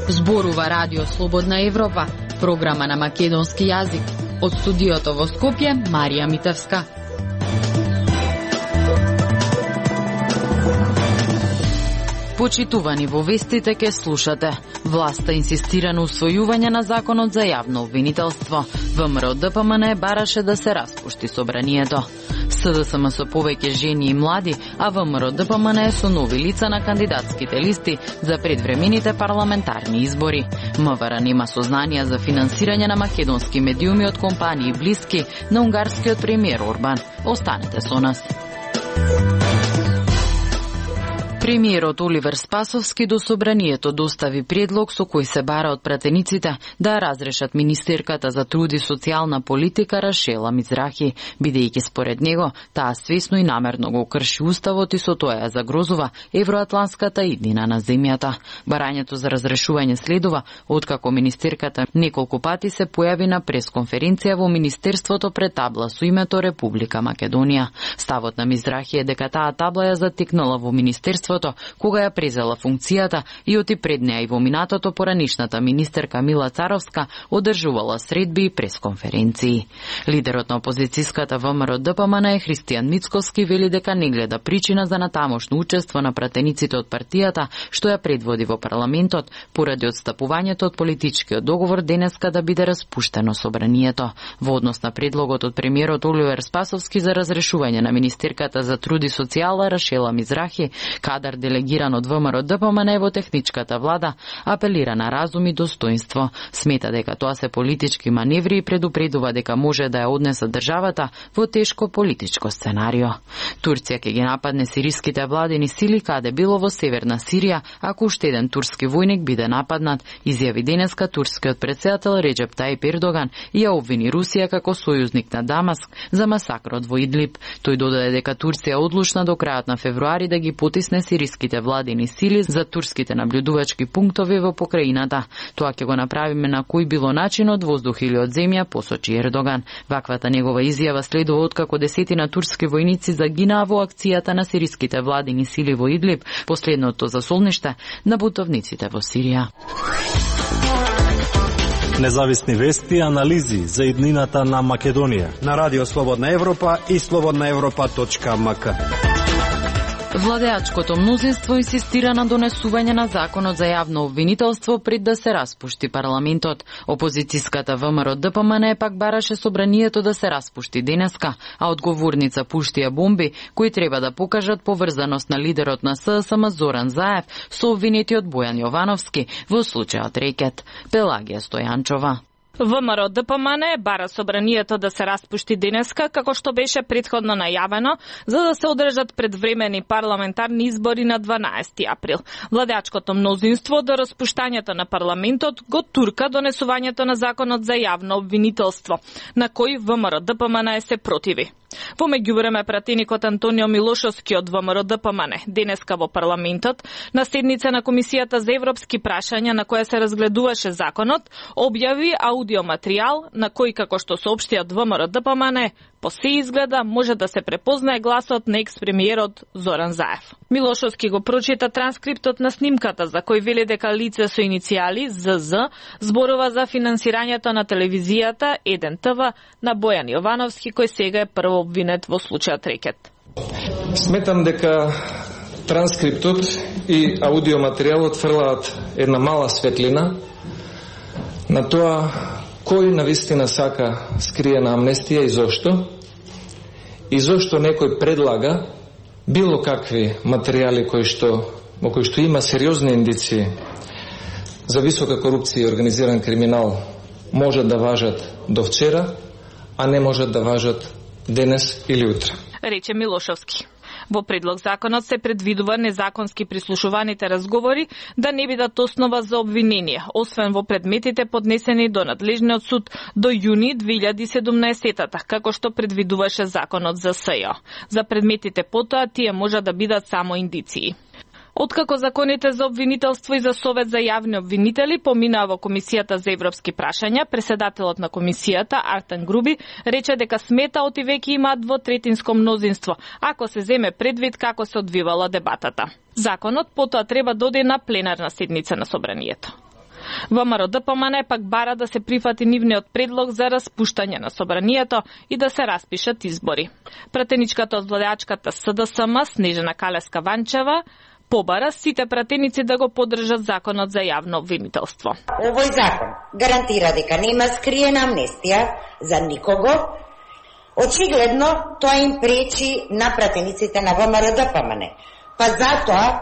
Зборува Радио Слободна Европа, програма на македонски јазик. Од студиото во Скопје, Марија Митевска. Почитувани, во вестите ке слушате. Власта инсистира на усвојување на законот за јавно обвинителство. ВМРО ДПМН бараше да се распушти собранието. СДСМ со повеќе жени и млади, а ВМРО ДПМН со нови лица на кандидатските листи за предвремените парламентарни избори. МВР нема сознанија за финансирање на македонски медиуми од компании блиски на унгарскиот премиер Орбан. Останете со нас. Премиерот Оливер Спасовски до собранието достави предлог со кој се бара од пратениците да разрешат министерката за труд и социјална политика Рашела Мизрахи, бидејќи според него таа свесно и намерно го крши уставот и со тоа ја загрозува евроатланската иднина на земјата. Барањето за разрешување следува откако министерката неколку пати се појави на пресконференција во министерството пред табла со името Република Македонија. Ставот на Мизрахи е дека таа табла ја затекнала во министерството кога ја презела функцијата и оти пред неа и во минатото поранишната министерка Мила Царовска одржувала средби и пресконференции. Лидерот на опозицијската ВМРО ДПМН Христијан Мицкоски вели дека не гледа причина за натамошно учество на пратениците од партијата што ја предводи во парламентот поради отстапувањето од политичкиот договор денеска да биде распуштено собранието. Во однос на предлогот од премиерот Оливер Спасовски за разрешување на министерката за труд и социјала Рашела Мизрахи, кадар делегиран од ВМРО ДПМН во техничката влада, апелира на разум и достоинство. Смета дека тоа се политички маневри и предупредува дека може да ја однесе државата во тешко политичко сценарио. Турција ќе ги нападне сириските владени сили каде било во северна Сирија, ако уште еден турски војник биде нападнат, изјави денеска турскиот претседател Реджеп Тајип Ердоган и ја обвини Русија како сојузник на Дамаск за масакрот во Идлиб. Тој додаде дека Турција е одлучна до крајот на февруари да ги потисне сириските владени сили за турските наблюдувачки пунктови во покрајината. Тоа ќе го направиме на кој било начин од воздух или од земја, посочи Ердоган. Ваквата негова изјава следува откако десетина турски војници загинаа во акцијата на сириските владени сили во Идлиб, последното засолниште на бутовниците во Сирија. Независни вести и анализи за иднината на Македонија на Радио Слободна Европа и slobodnaevropa.mk. Владеачкото мнозинство инсистира на донесување на законот за јавно обвинителство пред да се распушти парламентот. Опозицијската ВМРО ДПМН пак бараше собранието да се распушти денеска, а одговорница пушти ја бомби кои треба да покажат поврзаност на лидерот на СДСМ Зоран Заев со обвинетиот Бојан Јовановски во случајот Рекет. Пелагија Стојанчова. ВМРО ДПМН бара собранието да се распушти денеска, како што беше претходно најавено, за да се одржат предвремени парламентарни избори на 12 април. Владеачкото мнозинство до распуштањето на парламентот го турка донесувањето на законот за јавно обвинителство, на кој ВМРО ДПМН се противи. Во меѓувреме пратеникот Антонио Милошовски од ВМРО ДПМН денеска во парламентот на седница на Комисијата за европски прашања на која се разгледуваше законот, објави аудиоматеријал на кој, како што соопшти од ВМРО ДПМН, по се изгледа може да се препознае гласот на екс-премиерот Зоран Заев. Милошовски го прочита транскриптот на снимката за кој вели дека лице со иницијали ЗЗ зборува за финансирањето на телевизијата 1 ТВ на Бојан Јовановски, кој сега е прво обвинет во случајот Рекет. Сметам дека транскриптот и аудиоматеријалот фрлаат една мала светлина на тоа кој навистина сака скриена амнестија и зошто некој предлага било какви материјали во кои што има сериозни индиции за висока корупција и организиран криминал можат да важат до вчера, а не можат да важат денес или утре. Рече Милошовски. Во предлог законот се предвидува незаконски прислушуваните разговори да не бидат основа за обвинение, освен во предметите поднесени до надлежниот суд до јуни 2017-та, како што предвидуваше законот за СЈО. За предметите потоа тие може да бидат само индиции. Откако законите за обвинителство и за Совет за јавни обвинители поминаа во Комисијата за европски прашања, преседателот на комисијата Артан Груби рече дека смета оти веќе имаат двотретинско мнозинство, ако се земе предвид како се одвивала дебатата. Законот потоа треба да оде на пленарна седница на собранието. ВМРО-ДПМН пак бара да се прифати нивниот предлог за распуштање на собранието и да се распишат избори. Пратеничката од владеачката СДСМ Снежана Калеска-Ванчева побара сите пратеници да го поддржат законот за јавно обвинителство. Овој закон гарантира дека нема скриена амнестија за никого. Очигледно тоа им пречи на пратениците на ВМРО-ДПМН. Па затоа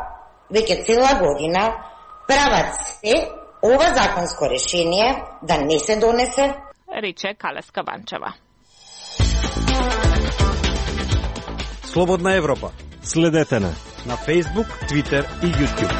веќе цела година прават се ова законско решение да не се донесе, рече Калеска-Ванчева. Слободна Европа. Следете на Facebook, Twitter и YouTube.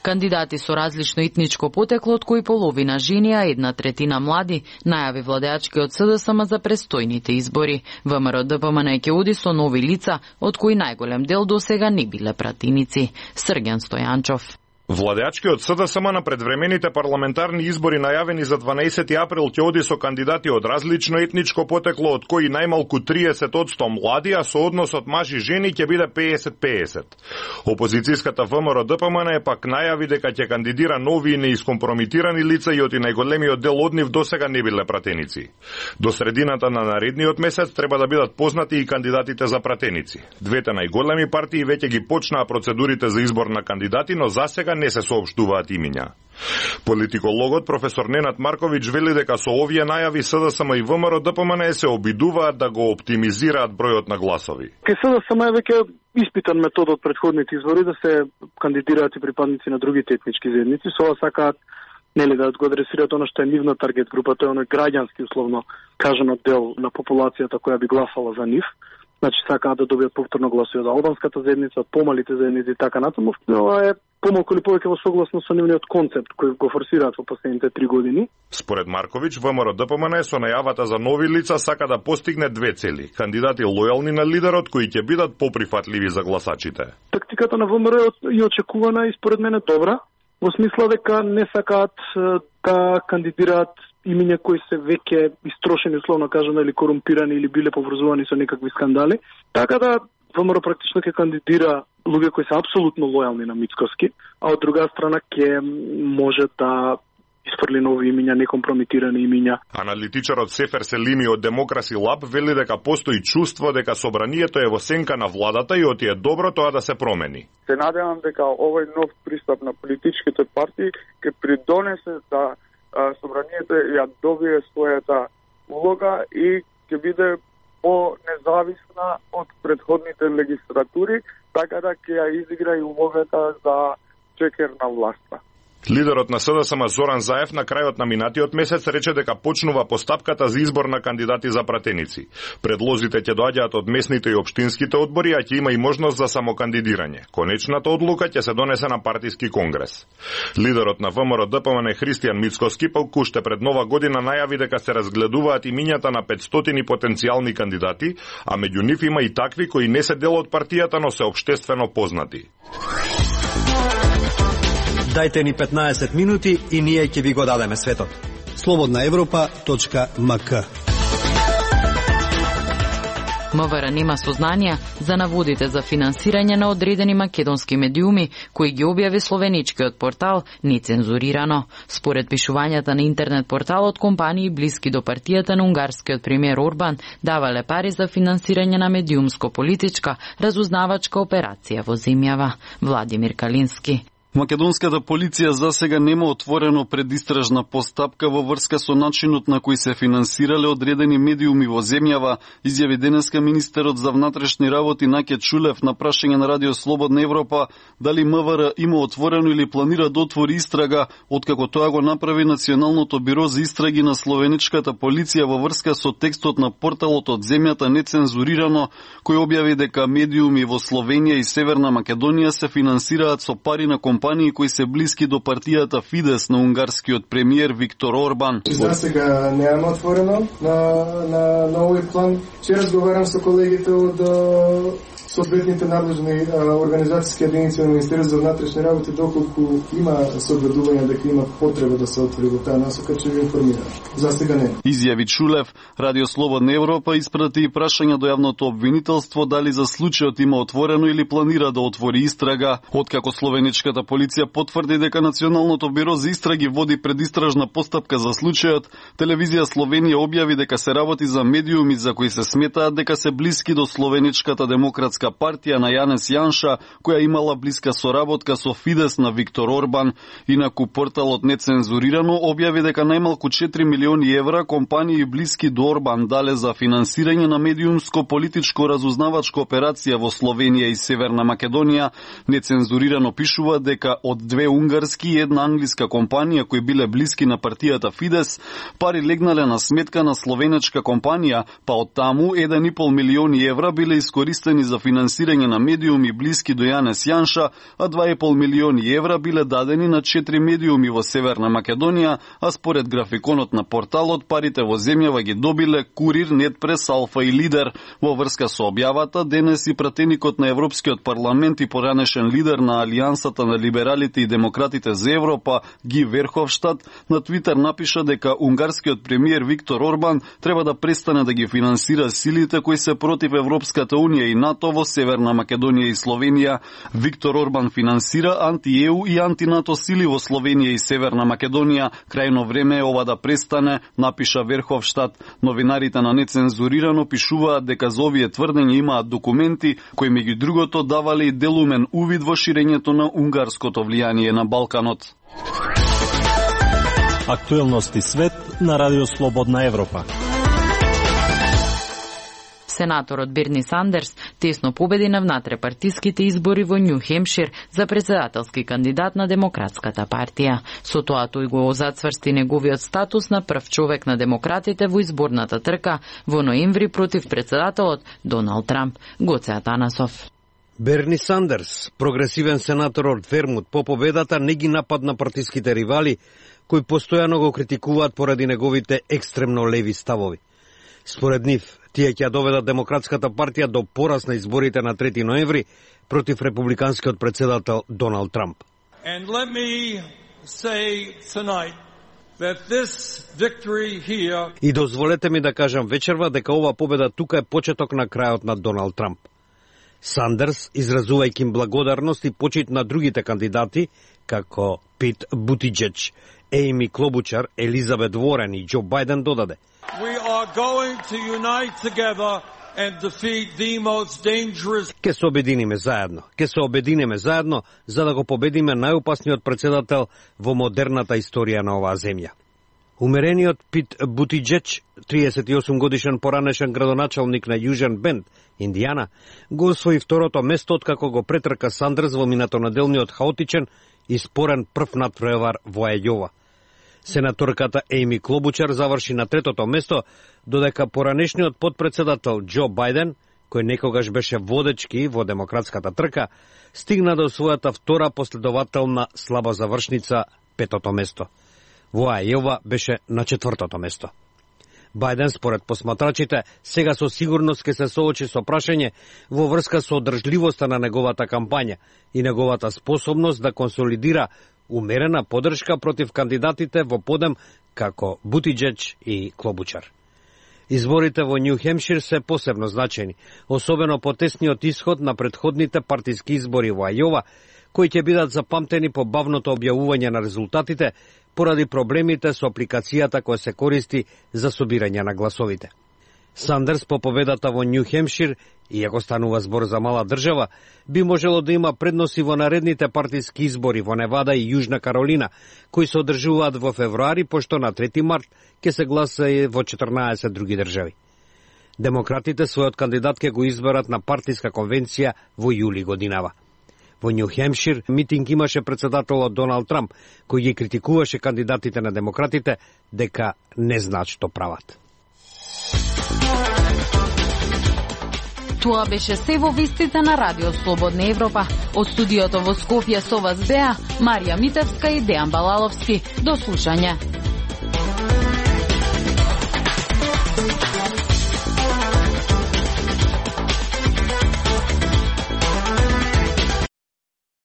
Кандидати со различно етничко потекло, од кои половина жени, а 1/3 млади, најави владеачкиот СДСМ за престојните избори. ВМРО-ДПМН ќе оди со нови лица, од кои најголем дел досега не биле пратеници. Срѓан Стојанчов. Владеачкиот СДСМ на предвремените парламентарни избори најавени за 12 април ќе оди со кандидати од различно етничко потекло, од кои најмалку 30% млади, а соодносот мажи-жени ќе биде 50-50. Опозицијската ВМРО-ДПМН пак најави дека ќе кандидира нови и неискомпромитирани лица и оти најголемиот дел од нив досега не биле пратеници. До средината на наредниот месец треба да бидат познати и кандидатите за пратеници. Двете најголеми партии веќе ги почнаа процедурите за избор на кандидати, но засега не се соопштуваат имиња. Политикологот професор Ненад Марковиќ вели дека со овие најави СДСМ и ВМРО-ДПМН се обидуваат да го оптимизираат бројот на гласови. Ке СДСМ е веќе испитан метод од претходните избори да се кандидираат и припадници на другите етнички заедници, со ова сакаат нели да го адресираат она што е нивна таргет група, тоа е оној граѓански условно кажано дел на популацијата која би гласала за нив. Значи сакаат да добијат повторно гласови од албанската заедница, од помалите заедници и така натаму. Ова е помалку или повеќе во согласно со нивниот концепт кој го форсираат во последните 3 години. Според Марковиќ, ВМРО-ДПМН со најавата за нови лица сака да постигне две цели: кандидати лојални на лидерот кои ќе бидат поприфатливи за гласачите. Тактиката на ВМРО е очекувана и според мене добра, во смисла дека не сакаат да кандидираат имиња кои се веќе истрошени, условно кажано, или корумпирани, или биле поврзувани со некакви скандали. Така да ВМРО практично ќе кандидира луѓе кои се апсолутно лојални на Мицкоски, а од друга страна ќе може да изфрли нови имиња, некомпромитирани имиња. Аналитичарот Сефер Селими од Демокраси Лаб вели дека постои чувство дека собранието е во сенка на владата и оти е добро тоа да се промени. Се надевам дека овој нов пристап на политичките партии ќе придонесе да собранието ја добие својата улога и ќе биде по-независна од претходните легислатури, така да ќе ја изигра и улогата за чекер на власта. Лидерот на СДСМ Зоран Заев на крајот на минатиот месец рече дека почнува постапката за избор на кандидати за пратеници. Предлозите ќе доаѓаат од местните и општинските одбори, а ќе има и можност за самокандидирање. Конечната одлука ќе се донесе на партиски конгрес. Лидерот на ВМРО-ДПМН Христијан Мицкоски пак уште пред нова година најави дека се разгледуваат имињата на 500 потенцијални кандидати, а меѓу нив има и такви кои не се дел од партијата, но се општествено познати. Дајте ни 15 минути и ние ќе ви го дадеме светот. slobodnaevropa.mk МВР нема сознанија за наводите за финансирање на одредени македонски медиуми, кои ги објави словеничкиот портал нецензурирано. Според пишувањата на интернет порталот, компании блиски до партијата на унгарскиот премиер Орбан давале пари за финансирање на медиумско-политичка разузнавачка операција во земјава. Владимир Калински. Македонската полиција засега нема отворено предистражна постапка во врска со начинот на кој се финансирале одредени медиуми во земјава, изјави денеска министерот за внатрешни работи Наке Чулев на прашање на Радио Слободна Европа дали МВР има отворено или планира да отвори истрага, откако тоа го направи Националното биро за истраги на словеничката полиција во врска со текстот на порталот од земјата нецензурирано, кој објави дека медиуми во Словенија и Северна Македонија се финансираат со пари на компанија компании кои се блиски до партијата Фидес на унгарскиот премиер Виктор Орбан. За сега немаме отворено на овој план. Ќе разговарам со колегите од соодветните надлежни организацијски единици на Министерството за внатрешни работи, доколку има согледување дека има потреба да се отвори во таа насока, ќе ви информирам. За сега не. Изјави Чулев. Радио Слободна Европа испрати прашање до јавното обвинителство дали за случајот има отворено или планира да отвори истрага. Откако словеничката полиција потврди дека Националното биро за истраги води предистражна постапка за случајот, телевизија Словенија објави дека се работи за медиуми за кои се сметаат дека се блиски до Словеничката демократска партија на Јанес Јанша, која имала блиска соработка со Фидес на Виктор Орбан. Инаку порталот Нецензурирано објави дека најмалку 4 милиони евра компании блиски до Орбан дале за финансирање на медиумско-политичко разузнавачка операција во Словенија и Северна Македонија. Нецензурирано пишува дека од 2 унгарски и 1 англиска компанија кои биле блиски на партијата Фидес, пари легнале на сметка на словенечка компанија, па од таму 1,5 милиони евра биле искористени за финансирање на медиуми блиски до Јанес Јанша, а 2,5 милиони евра биле дадени на 4 медиуми во Северна Македонија, а според графиконот на порталот парите во земјава ги добиле Курир, Нетпрес, Алфа и Лидер. Во врска со објавата, денес и пратеникот на Европскиот парламент и поранешен лидер на Алијансата на либералите и демократите за Европа, Ги Верховштад, на Твитер напиша дека унгарскиот премиер Виктор Орбан треба да престане да ги финансира силите кои се против Европската унија и НАТО во Северна Македонија и Словенија. Виктор Орбан финансира анти-ЕУ и анти-НАТО сили во Словенија и Северна Македонија. Крајно време е ова да престане, напиша Верховштад. Новинарите на Нецензурирано пишуваат дека за овие тврдења имаат документи кои меѓу другото давале и делумен увид во ширењето на унгарското влијание на Балканот. Актуелности свет на Радио Слободна Европа. Сенаторот Берни Сандерс тесно победи на внатрепартиските избори во Њу Хемшир за претседателски кандидат на Демократската партија. Со тоа тој го зацврсти неговиот статус на прв човек на демократите во изборната трка во ноември против претседателот Доналд Трамп. Гоце Атанасов. Берни Сандерс, прогресивен сенатор од Вермут, по победата не ги нападна партиските ривали, кои постојано го критикуваат поради неговите екстремно леви ставови. Според нив, тие ќе доведат Демократската партија до пораз на изборите на 3 ноември против републиканскиот претседател Доналд Трамп. And let me say tonight that this victory here... И дозволете ми да кажам вечерва дека ова победа тука е почеток на крајот на Доналд Трамп. Сандерс, изразувајќи им благодарност и почит на другите кандидати, како Пит Бутиџеџ, Ејми Клобучар, Елизабет Ворен и Џо Бајден, додаде: We are going to unite together and defeat the most dangerous... Ке се обединиме заедно, за да го победиме најопасниот претседател во модерната историја на оваа земја. Умерениот Пит Бутиџеџ, 38 годишен поранешен градоначалник на Јужен Бенд, Индијана, го освои второто место откако го претрка Сандерс во минатонеделниот хаотичен и спорен прв надпревар во Ајова. Сенаторката Ејми Клобучар заврши на третото место, додека поранешниот подпредседател Џо Бајден, кој некогаш беше водечки во демократската трка, стигна до својата втора последователна слаба завршница, петото место. Во Ајова беше на четвртото место. Бајден, според посматрачите, сега со сигурност ќе се соочи со прашање во врска со одржливоста на неговата кампања и неговата способност да консолидира умерена поддршка против кандидатите во подем како Бутиџеџ и Клобучар. Изборите во Њу Хемшир се посебно значени, особено по тесниот исход на претходните партиски избори во Ајова, кои ќе бидат запамтени по бавното објавување на резултатите поради проблемите со апликацијата која се користи за собирање на гласовите. Сандерс по победата во Њу Хемшир, иако станува збор за мала држава, би можело да има предноси во наредните партиски избори во Невада и Јужна Каролина, кои се одржуваат во февруари, пошто на 3 март ќе се гласа во 14 други држави. Демократите својот кандидат ќе го изберат на партиска конвенција во јули годинава. Во Њу Хемшир митинг имаше претседателот Доналд Трамп, кој ги критикуваше кандидатите на демократите дека не знаат што прават. Тоа беше се во вестите на Радио Слободна Европа. Од студиото во Скопје со вас беа Марија Митевска и Дејан Балаловски. До слушање.